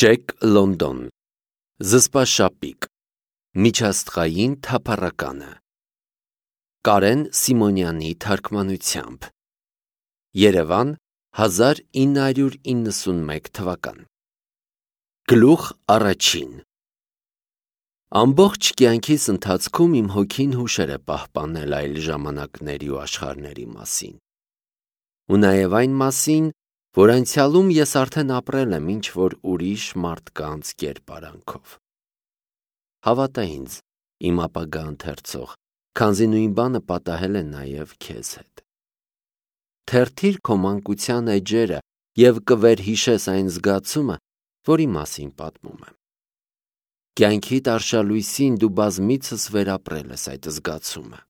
Ջեք Լոնդոն, Զսպաշապիկ, Միջաստղային թափառականը, Կարեն Սիմոնյանի թարգմանությամբ, Երևան, 1991 թվական։ Գլուխ առաջին։ Ամբողջ կյանքիս ընթացքում իմ հոգին հուշեր է պահպանել այլ ժամանակների ու աշխարհների մասին։ Ու նաև այն մասին, որ անցյալում ես արդեն ապրել եմ ինչ-որ ուրիշ մարդկանց կերպարանքով։ Հավատա ինձ, իմ ապագա ընթերցող, քանզի նույն բանը պատահել է նաև քեզ հետ։ Թերթիր քո մանկության էջերը և կվերհիշես այն զգացումը, որի մասին պատմում եմ։ Կյանքիդ արշալույսին դու բազմիցս վերապրել ես այդ զգացումը։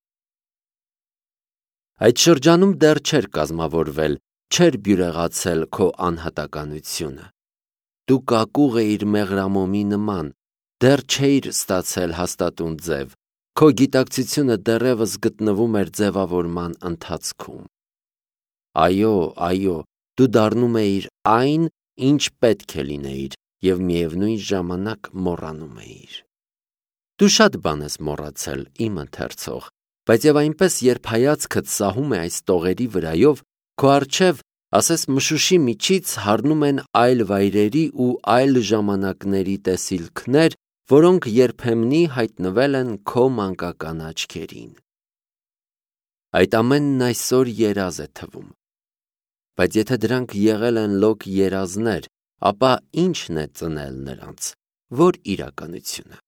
Այդ շրջանում դեռ չէր կազմավորվել, չէր բյուրեղացել քո անհատականությունը։ Դու կակուղ էիր մեղրամոմի նման, դեռ չէիր ստացել հաստատուն ձև, քո գիտակցությունը դեռևս գտնվում էր ձևավորման ընթացքում։ Այո, դու դառնում էիր այն, ինչ պետք է լինեիր, և միևնույն ժամանակ մոռանում էիր։ Դու շատ բան ես մոռացել, իմ ընթերցող, բայց և այնպես, երբ հայացքդ սահում է այս տողերի վրայով, քո առջև, ասես մշուշի միջից հառնում են այլ վայրերի ու այլ ժամանակների տեսիլքներ, որոնք երբեմնի հայտնվել են քո մանկական աչքերին։ Այդ ամենն այսօր երազ է թվում։ Բայց եթե դրանք եղել են լոկ երազներ, ապա ի՞նչն է ծնել նրանց, որ իրականությունը։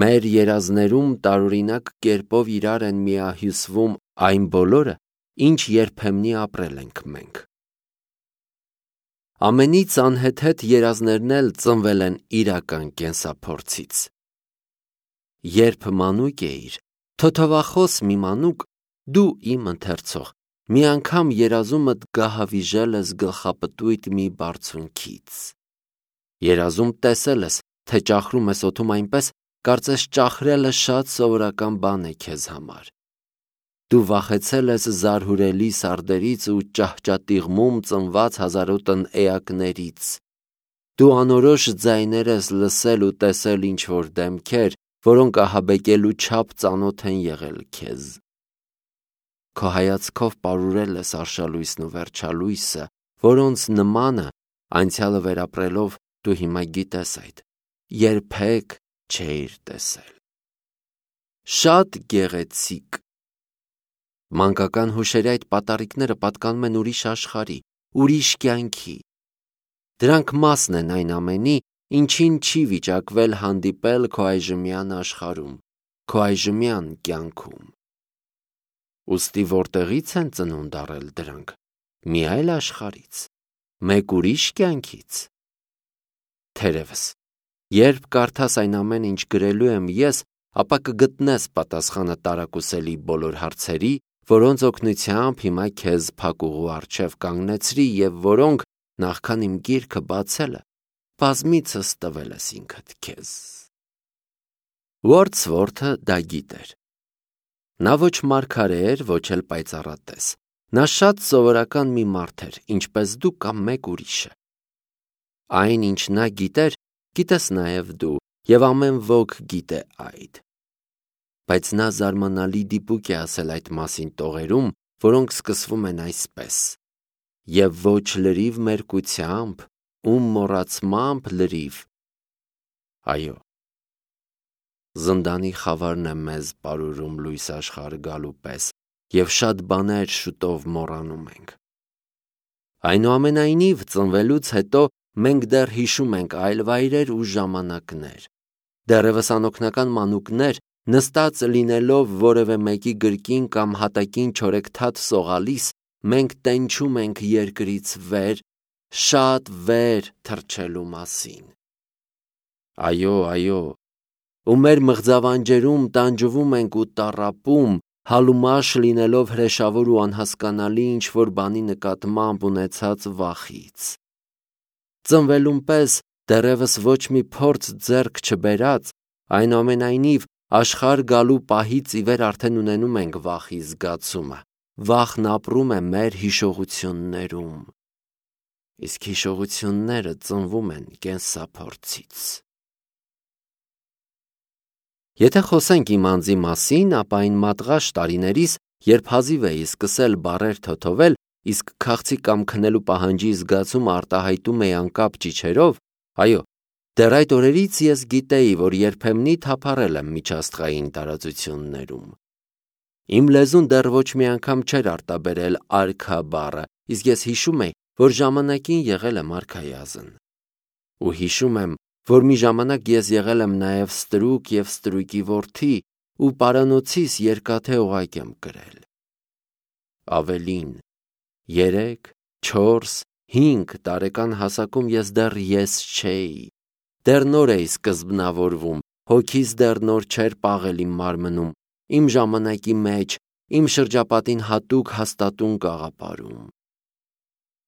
Մեր երազներում տարօրինակ կերպով իրար են միահյուսվում այն բոլորը, ինչ երբեմնի ապրել ենք մենք։ Ամենից անհեթեթ երազներն էլ ծնվել են իրական կենսափորձից։ Երբ մանուկ էիր, թոթովախոս մի մանուկ, դու իմ ընթերցող, մի անգամ երազումդ գահավիժել ես գլխապտույտ մի բարձունքից։ Երազում տեսել ես, թե ճախրում ես օդում այնպես, կարծես ճախրելը շատ սովորական բան է քեզ համար։ Դու վախեցել ես զարհուրելի սարդերից ու ճահճատիղմում ծնված հազարոտն էակներից։ Դու անորոշ ձայներ ես լսել ու տեսել ինչ-որ դեմքեր, որոնք ահաբեկելու չափ ծանոթ են եղել քեզ։ Քո հայացքով պարուրել ես արշալույսն ու վերջալույսը, որոնց նմանը, անցյալը վերապրելով, դու հիմա գիտես այդ, երբեք չէիր տեսել։ Շատ գեղեցիկ։ Մանկական հուշերի այդ պատառիկները պատկանում են ուրիշ աշխարհի, ուրիշ կյանքի։ Դրանք մասն են այն ամենի, ինչին չի վիճակվել հանդիպել քո այժմյան աշխարհում, քո այժմյան կյանքում։ Ուստի որտեղի՞ց են ծնունդ առել դրանք։ Մի այլ աշխարհից, մեկ ուրիշ կյանքից։ Թերևս, երբ կարդաս այն ամենը, ինչ գրելու եմ ես, ապա կգտնես պատասխանը տարակուսելի բոլոր հարցերի, որոնց օգնությամբ հիմա քեզ փակուղու առջև կանգնեցրի և որոնք, նախքան իմ գիրքը բացելը, բազմիցս տվել ես ինքդ քեզ։ Ուորդսվորթը դա գիտեր։ Նա ոչ մարգարե էր, ոչ էլ պայծառատես։ Նա շատ սովորական մի մարդ էր, ինչպես դու կամ մեկ ուրիշը։ Այն, ինչ նա գիտեր, գիտես նաև դու, և ամեն ոք գիտե այդ։ Բայց նա զարմանալի դիպուկ է ասել այդ մասին տողերում, որոնք սկսվում են այսպես. «Եվ ոչ լրիվ մերկությամբ, ում մոռացմամբ լրիվ»։ Այո, զնդանի խավարն է մեզ պարուրում լույս աշխարհ գալու պես, և շատ բաներ շուտով մոռանում ենք։ Այնուամենայնիվ, ծնվելուց հետո մենք դեռ հիշում ենք այլ վայրեր ու ժամանակներ։ Դեռևս անօգնական մանուկներ, նստած լինելով որևէ մեկի գրկին կամ հատակին չորեքթաթ սողալիս, մենք տենչում ենք երկրից վեր, շատ վեր թռչելու մասին։ Այո, ու մեր մղձավանջերում տանջվում ենք ու տառապում, հալումաշ լինելով հրեշավոր ու անհասկանալի ինչ-որ բանի նկատմամբ ունեցած վախից։ Ծնվելուն պես դեռևս ոչ մի փորձ ձեռք չբերած, այնուամենայնիվ աշխարհ գալու պահից ի վեր արդեն ունենում ենք վախի զգացումը, վախն ապրում է մեր հիշողություններում։ իսկ հիշողությունները ծնվում են կենսափորձից։ Եթե խոսենք իմ անձի մասին, ապա այն մատղաշ տարիներիս, երբ հազիվ էի սկսել բառեր թոթովել, իսկ քաղցի կամ քնելու պահանջի զգացումը արտահայտում էի անկապ ճիչերով, այո, դեռ այդ օրերից ես գիտեի, որ երբեմնի թափառել եմ միջաստղային տարածություններում։ Իմ լեզուն դեռ ոչ մի անգամ չէր արտաբերել արքա բառը, իսկ ես հիշում էի, որ ժամանակին եղել եմ արքայազն։ Ու հիշում եմ, որ մի ժամանակ ես եղել եմ նաև ստրուկ և ստրուկի որդի ու պարանոցիս երկաթե օղակ եմ կրել։ Ավելին, 3, 4, 5 տարեկան հասակում ես դեռ ես չէի, դեռ նոր էի սկզբնավորվում, հոգիս դեռ նոր չէր պաղել իմ մարմնում, իմ ժամանակի մեջ, իմ շրջապատին հատուկ հաստատուն կաղապարում։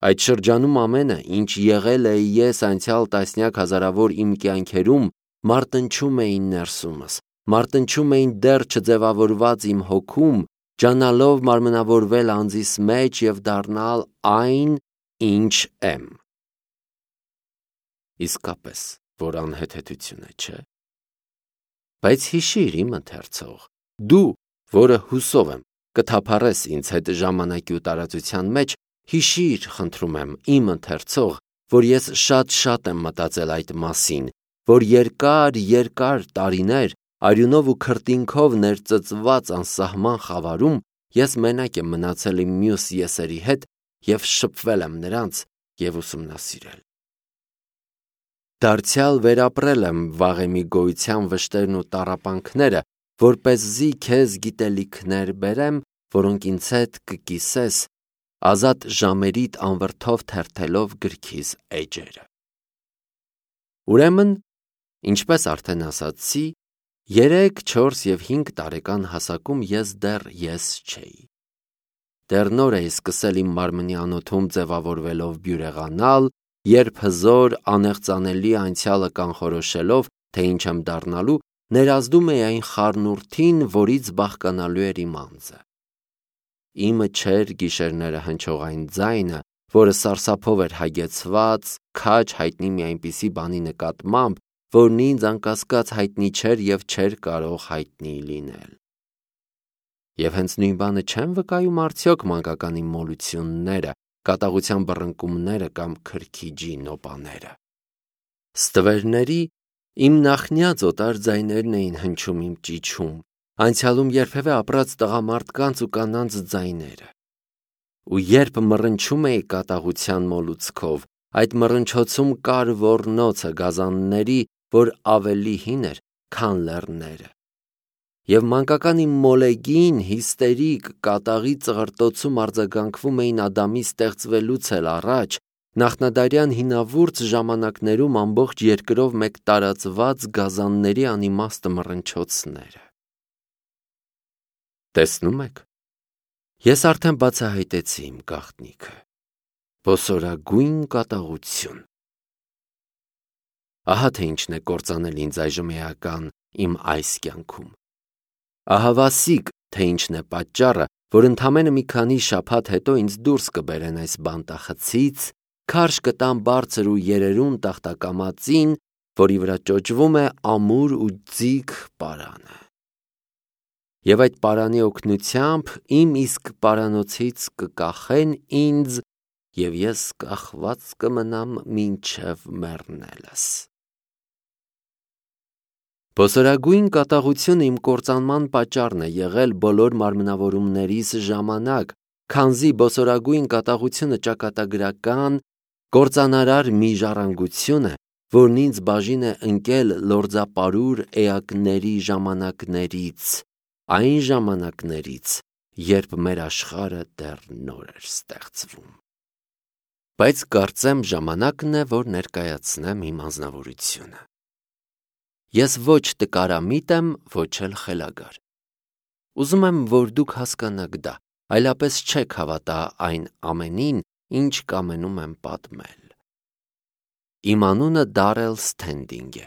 Այդ շրջանում ամենը, ինչ եղել էի ես անցյալ տասնյակ հազարավոր իմ կյանքերում, մարտնչում էին ներսումս, մարտնչում էին դեռ չձևավորված իմ հոգում, ջանալով մարմնավորվել անձիս մեջ և դառնալ այն, ինչ եմ։ Իսկապես, որ անհեթեթություն է, չէ՞։ Բայց հիշիր իմ ընթերցող, դու, որը հուսով եմ, կթափառես ինձ հետ ժամանակի ու տարածության մեջ, հիշիր, խնդրում եմ, իմ ընթերցող, որ ես շատ եմ մտածել այդ մասին, որ երկար տարիներ արյունով ու քրտինքով ներծծված անսահման խավարում ես մենակ եմ մնացել իմ մյուս եսերի հետ և շփվել եմ նրանց և ուսումնասիրել։ Դարձյալ վերապրել եմ վաղեմի գոյության վշտերն ու տառապանքները, որպեսզի քեզ գիտելիքներ բերեմ, որոնք ինձ հետ կկիսես, ազատ ժամերիդ անվրդով թերթելով գրքիս էջերը։ Ուրեմն, ինչպես արդեն ասացի, 3, 4 և 5 տարեկան հասակում ես դեռ ես չէի։ Դեռ նոր էի սկսել իմ մարմնի անոթում ձևավորվելով բյուրեղանալ, երբ հզոր, անեղծանելի անցյալը կանխորոշելով, թե ինչ եմ դառնալու, ներազդում էի այն խառնուրդին, որից բաղկանալու էր իմ անձը։ Իմը չէր գիշերները հնչող այն ձայնը, որը սարսափով էր հագեցված, քաջ հայտնի մի այնպիսի բանի նկատմամբ, որն ինձ անկասկած հայտնի չէր և չէր կարող հայտնի լինել։ Եվ հենց նույն բանը չեմ վկայում արդյոք մանկական իմ մոլությունները, կատաղության բռնկումները կամ քրքիջի նոպաները։ Ստվերների իմ նախնյաց օտար ձայներն էին հնչում իմ ճիչում, անցյալում երբևէ ապրած տղամարդկանց ու կանանց ձայները։ Ու երբ մռնչում էի կատաղության մոլուցքով, այդ մռնչոցում կար ոռնոցը գազանների, որ ավելի հին էր, քան լեռները։ Եվ մանկական իմ մոլեգին, հիստերիկ, կատաղի ծղրտոցում արձագանքվում էին Ադամի ստեղծվելուց էլ առաջ, նախնադարյան հինավուրց ժամանակներում ամբողջ երկրով մեկ տարածված գազանների անիմաստ մռնչոցները։ Տեսնում եք, ես արդեն բացահայտեցի իմ գաղտնիքը, ոսորագույն կատաղություն։ Ահա թե ինչն է կործանել ինձ այժմ էական իմ այս կյանքում։ Ահավասիկ, թե ինչն է պատճառը, որ ընդամենը մի քանի շաբաթ հետո ինձ դուրս կբերեն այս բանտախցից, քարշ կտան բարձր ու երերուն տախտակամածին, որի վրա ճոճվում է ամուր ու ձիգ պարանը։ Եվ այդ պարանի օգնությամբ իմ իսկ պարանոցից կկախեն ինձ, և ես կախված կմնամ մինչև մեռնելս։ Ոսորագույն կատաղությունը իմ կործանման պատճառն է եղել բոլոր մարմնավորումներիս ժամանակ, քանզի ոսորագույն կատաղությունը ճակատագրական, կործանարար մի ժառանգություն է, որն ինձ բաժին է ընկել լորձապարուր էակների ժամանակներից, այն ժամանակներից, երբ մեր աշխարհը դեռ նոր էր ստեղծվում։ Բայց կարծեմ ժամանակն է, որ ներկայացնեմ իմ անձնավորությունը։ Ես ոչ տկարամիտ եմ, ոչ էլ խելագար։ Ուզում եմ, որ դուք հասկանաք դա, այլապես չեք հավատա այն ամենին, ինչ կամենում եմ պատմել։ Իմ անունը Դարել Սթենդինգ է։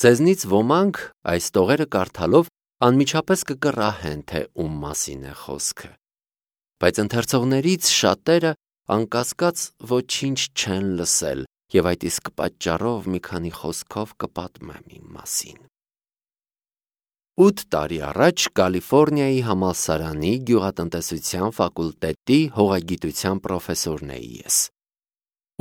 Ձեզնից ոմանք այս տողերը կարդալով անմիջապես կկռահեն, թե ում մասին է խոսքը։ Բայց ընթերցողներից շատերը անկասկած ոչինչ չեն լսել և այդ իսկ պատճառով մի քանի խոսքով կպատմեմ իմ մասին։ 8 տարի առաջ Կալիֆոռնիայի համալսարանի գյուղատնտեսության ֆակուլտետի հողագիտության պրոֆեսորն էի ես։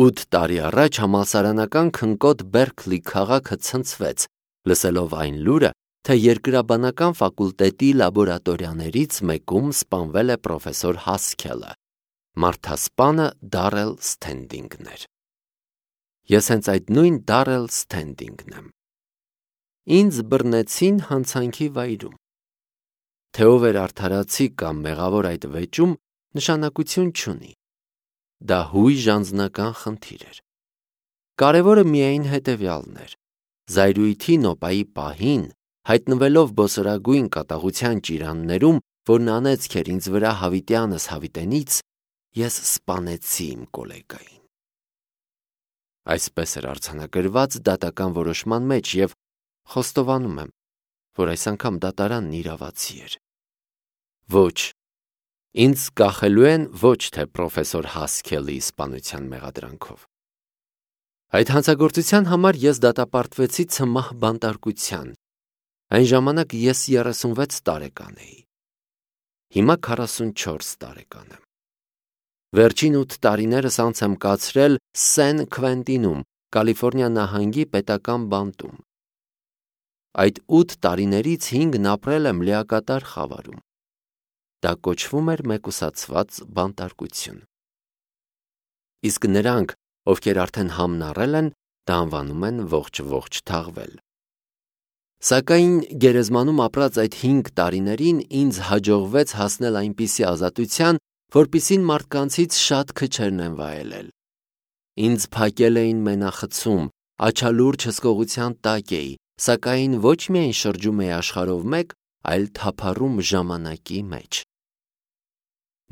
8 տարի առաջ համալսարանական քնկոտ Բերքլի քաղաքը ցնցվեց, լսելով այն լուրը, թե երկրաբանական ֆակուլտետի լաբորատորիաներից մեկում սպանվել է պրոֆեսոր Հասքելը, մարդասպանը Դարել Սթենդինգն էր։ Ես հենց այդ նույն Դարել Սթենդինգն եմ։ Ինձ բռնեցին հանցանքի վայրում։ Թե ով էր արդարացի կամ մեղավոր այդ վեճում, նշանակություն չունի։ Դա հույժ անձնական խնդիր էր։ Կարևորը միայն հետևյալն էր. զայրույթի նոպայի պահին, հայտնվելով բոսորագույն կատաղության ճիրաններում, որն անեծք էր ինձ վրա հավիտյանս հավիտենից, ես սպանեցի իմ կոլեգային։ Այսպես էր արձանագրված դատական որոշման մեջ և խոստովանում եմ, որ այս անգամ դատարանն իրավացի էր։ Ոչ, ինձ կախելու են ոչ թե պրոֆեսոր Հասքելի սպանության մեղադրանքով։ Այդ հանցագործության համար ես դատապարտվեցի ցմահ բանտարկության։ Այն ժամանակ ես 36 տարեկան էի։ Հիմա 44 տարեկան եմ։ Վերջին 8 տարիներս անց եմ կացրել Սեն Քվենտինում, Կալիֆոռնիա նահանգի պետական բանտում։ Այդ 8 տարիներից 5-ն ապրել եմ լիակատար խավարում։ Դա կոչվում էր մեկուսացված բանտարկություն։ Իսկ նրանք, ովքեր արդեն համն առել են, դա անվանում են ողջ թաղվել։ Սակայն գերեզմանում ապրած այդ 5 տարիներին ինձ հաջողվեց հասնել այնպիսի ազատության, որպիսին մարդկանցից շատ քչերն են վայելել։ Ինձ փակել էին մենախցում, աչալուրջ հսկողության տակ էի, սակայն ոչ միայն շրջում էի աշխարհով մեկ, այլ թափառում ժամանակի մեջ։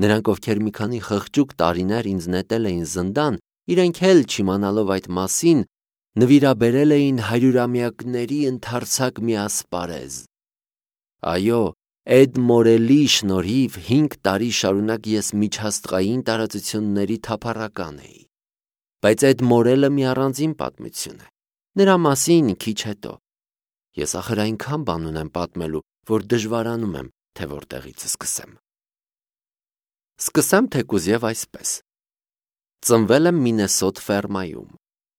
Նրանք, ովքեր մի քանի խղճուկ տարիներ ինձ նետել էին զնդան, իրենք էլ չիմանալով այդ մասին, նվիրաբերել էին հարյուրամյակների ընդարձակ մի ասպարեզ։ Այո, Էդ Մորելի շնորհիվ 5 տարի շարունակ ես միջաստղային տարածությունների թափառական էի։ Բայց Էդ Մորելը մի առանձին պատմություն է։ Նրա մասին քիչ հետո։ Ես ախր այնքան բան ունեմ պատմելու, որ դժվարանում եմ, թե որտեղից սկսեմ։ Սկսեմ թեկուզ և այսպես։ Ծնվել եմ Մինեսոտ ֆերմայում։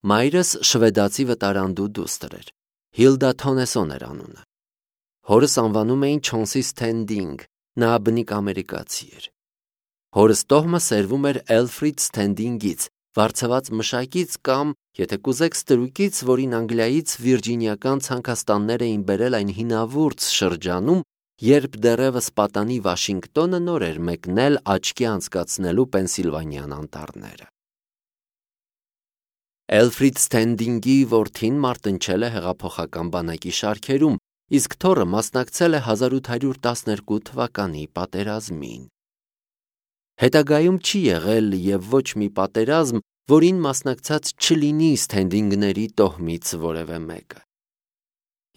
Մայրս շվեդացի վտարանդու դուստր էր։ Հիլդա Թոնեսոն էր անունը։ Հորս անվանում էին Չոնսի Սթենդինգ, նա բնիկ ամերիկացի էր։ Հորս տոհմը սերվում էր Էլֆրիդ Սթենդինգից, վարձված մշակից կամ, եթե կուզեք, ստրուկից, որին Անգլիայից վիրջինիական ցանկաստաններ էին բերել այն հինավուրց շրջանում, երբ դեռևս պատանի Վաշինգտոնը նոր էր մեկնել աչքի անցկացնելու Պենսիլվանիան անտառները։ Էլֆրիդ Սթենդինգի որդին մարտնչել է հեղափոխական բանակի շարքերում, իսկ թոռը մասնակցել է 1812 թվականի պատերազմին։ Հետագայում չի եղել և ոչ մի պատերազմ, որին մասնակցած չլինի Սթենդինգների տոհմից որևէ մեկը։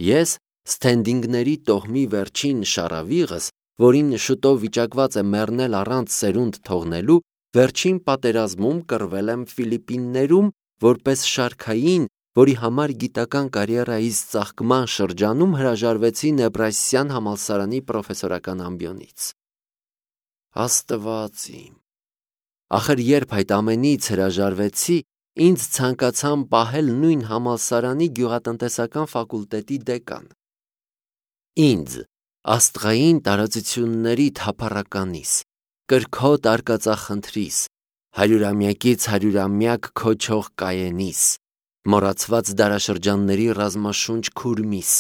Ես Սթենդինգների տոհմի վերջին շառավիղս, որին շուտով վիճակված է մեռնել առանց սերունդ թողնելու, վերջին պատերազմում կռվել եմ Ֆիլիպիններում, որպես շարքային, որի համար գիտական կարիերայիս ծաղկման շրջանում հրաժարվեցի Նեբրասյան համալսարանի պրոֆեսորական ամբիոնից։ Աստված իմ։ Ախր երբ այդ ամենից հրաժարվեցի, ինձ ցանկացան պահել նույն համալսարանի գյուղատնտեսական ֆակուլտետի դեկան։ Ինձ, աստղային տարածությունների թափառականիս, կրքոտ արկածախնդրիս, հարյուրամյակից հարյուրամյակ քոչող կաենիս, մոռացված դարաշրջանների ռազմաշունչ քուրմիս,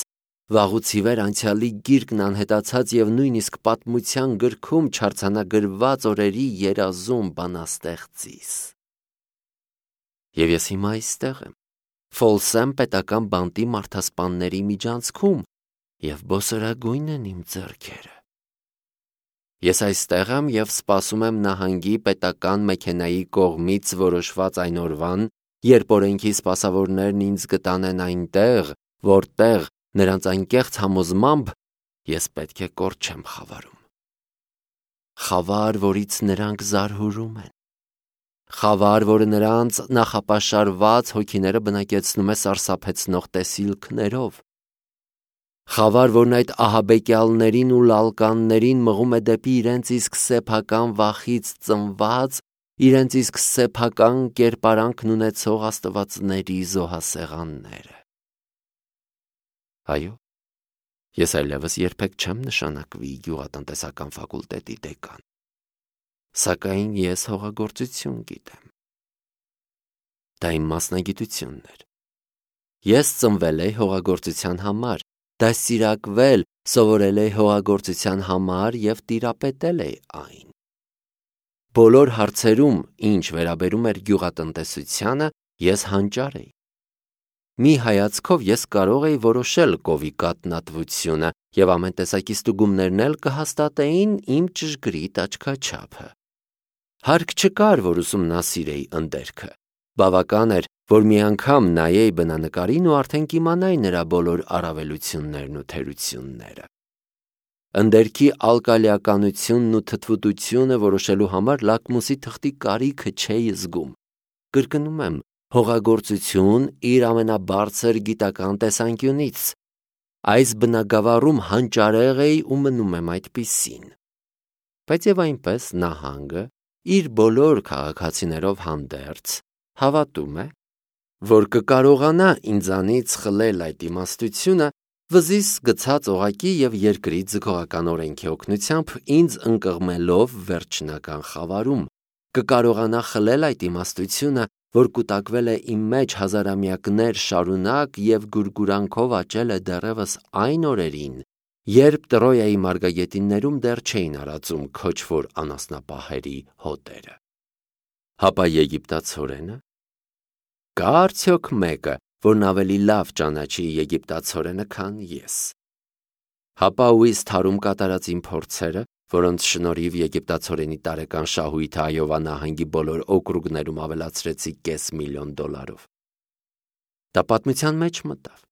վաղուց ի վեր անցյալի գիրկն անհետացած և նույնիսկ պատմության գրքում չարձանագրված օրերի երազում բանաստեղծիս։ Եվ ես հիմա այստեղ եմ, Ֆոլսեմ պետական բանտի մարդասպանների միջանցքում, և բոսորագույն են իմ ձեռքերը։ Ես այստեղ եմ և սպասում եմ նահանգի պետական մեքենայի կողմից որոշված այն օրվան, երբ օրենքի սպասավորներն ինձ կտանեն այնտեղ, որտեղ նրանց անկեղծ համոզմամբ ես պետք է կորչեմ խավարում։ Խավար, որից նրանք զարհուրում են։ խավար, որը նրանց նախապաշարված հոգիները բնակեցնում է սարսափեցնող տեսիլքներով, խավար, որն այդ ահաբեկյալներին ու լալկաններին մղում է դեպի իրենց իսկ սեփական վախից ծնված, իրենց իսկ սեփական կերպարանքն ունեցող աստվածների զոհասեղանները։ Այո, ես այլևս երբեք չեմ նշանակվի գյուղատնտեսական ֆակուլտետի դեկան, սակայն ես հողագործություն գիտեմ։ Դա իմ մասնագիտությունն էր։ Ես ծնվել էի հողագործության համար, դաստիարակվել, սովորել էի հողագործության համար և տիրապետել էի այն։ Բոլոր հարցերում, ինչ վերաբերում էր գյուղատնտեսությանը, ես հանճար էի։ Մի հայացքով ես կարող էի որոշել կովի կաթնատվությունը և ամեն տեսակի ստուգումներն էլ կհաստատեին իմ ճշգրիտ աչքաչափը։ Հարկ չկար, որ ուսումնասիրեի ընդերքը։ Բավական էր, որ մի անգամ նայեի բնանկարին ու արդեն կիմանայի նրա բոլոր առավելություններն ու թերությունները։ Ընդերքի ալկալիականությունն ու թթվուտությունը որոշելու համար լակմուսի թղթի կարիքը չէի զգում։ Կրկնում եմ, հողագործություն իր ամենաբարձր գիտական տեսանկյունից։ Այս բնագավառում հանճարեղ էի ու մնում եմ այդպիսին։ Բայց և այնպես նահանգը, իր բոլոր քաղաքացիներով հանդերձ, հավատում է, որ կկարողանա ինձանից խլել այդ իմաստությունը, վզիս գցած օղակի և երկրի ձգողական օրենքի օգնությամբ ինձ ընկղմելով վերջնական խավարում, կկարողանա խլել այդ իմաստությունը, որ կուտակվել է իմ մեջ հազարամյակներ շարունակ և գուրգուրանքով աճել է դեռևս այն օրերին, երբ Տրոյայի մարգագետիններում դեռ չէին արածում քոչվոր անասնապահերի հոտերը։ Հապա եգիպտացորենը։ Կա՞ արդյոք մեկը, որն ավելի լավ ճանաչի եգիպտացորենը, քան ես։ Հապա ույս թարում կատարած իմ փորձերը, որոնց շնորհիվ եգիպտացորենի տարեկան շահույթը Այովա նահանգի բոլոր օկրուգներում ավելացրեցի $500,000։ Դա պատմության մեջ մտավ։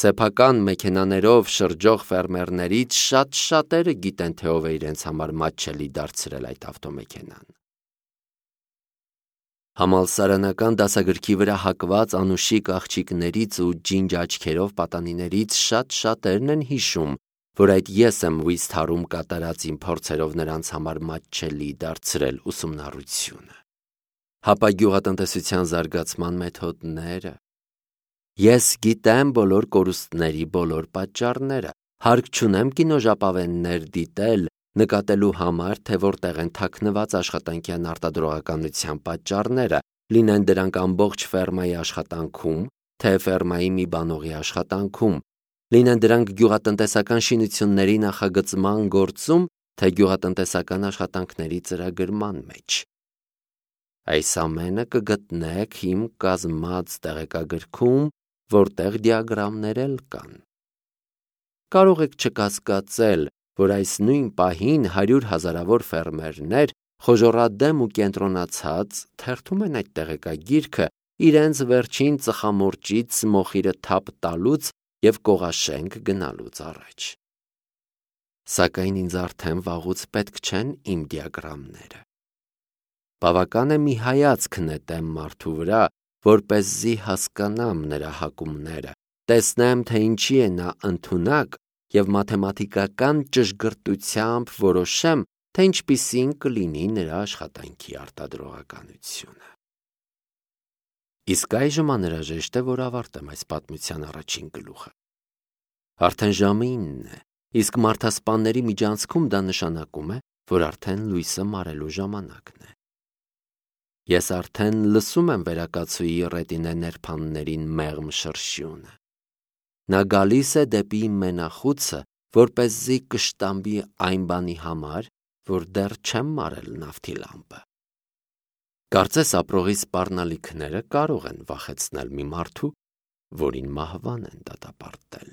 Սեփական մեքենաներով շրջող ֆերմերներից շատ շատերը գիտեն, թե ով է իրենց համար մատչելի դարձրել այդ ավտոմեքենան։ Համալսարանական դասագրքի վրա հակված անուշիկ աղջիկներից ու ջինջ աչքերով պատանիներից շատ շատերն են հիշում, որ այդ ես եմ ույս թարում կատարած իմ փորձերով նրանց համար մատչելի դարձրել ուսումնառությունը։ Հապա գյուղատնտեսության զարգացման մեթոդները։ Ես գիտեմ բոլոր կորուստների բոլոր պատճառները, հարկ չունեմ կինոժապավեններ դիտել, նկատելու համար, թե որտեղ են թաքնված աշխատանքյան արտադրողականության պատճառները, լինեն դրանք ամբողջ ֆերմայի աշխատանքում, թե ֆերմայի մի բանողի աշխատանքում, լինեն դրանք գյուղատնտեսական շինությունների նախագծման գործում, թե գյուղատնտեսական աշխատանքների ծրագրման մեջ։ Այս ամենը կգտնեք իմ կազմած տեղեկագրքում, որտեղ դիագրամներ էլ կան։ Կարող եք չկասկածել, որ այս նույն պահին 100 հազարավոր ֆերմերներ խոժոռադեմ ու կենտրոնացած թերթում են այդ տեղեկագիրքը իրենց վերջին ծխամորճից մոխիրը թափ տալուց և կողաշենք գնալուց առաջ։ Սակայն ինձ արդեն վաղուց պետք չեն իմ դիագրամները։ Բավական է մի հայացք նետեմ մարդու վրա, որպեսզի հասկանամ նրա հակումները, տեսնեմ, թե ինչի է նա ընդունակ և մաթեմատիկական ճշգրտությամբ որոշեմ, թե ինչպիսին կլինի նրա աշխատանքի արտադրողականությունը։ Իսկ այժմ անհրաժեշտ է, որ ավարտեմ այս պատմության առաջին գլուխը։ Արդեն ժամը 9 է, իսկ մարդասպանների միջանցքում դա նշանակում է, որ արդեն լույսը մարելու ժամանակն է։ Ես արդեն լսում եմ վերակացուի ռետինե ներփաններին մեղմ շրշյունը։ Նա գալիս է դեպի իմ մենախուցը, որպեսզի կշտամբի այն բանի համար, որ դեռ չեմ մարել նավթի լամպը։ Կարծես ապրողի սպառնալիքները կարող են վախեցնել մի մարդու, որին մահվան են դատապարտել։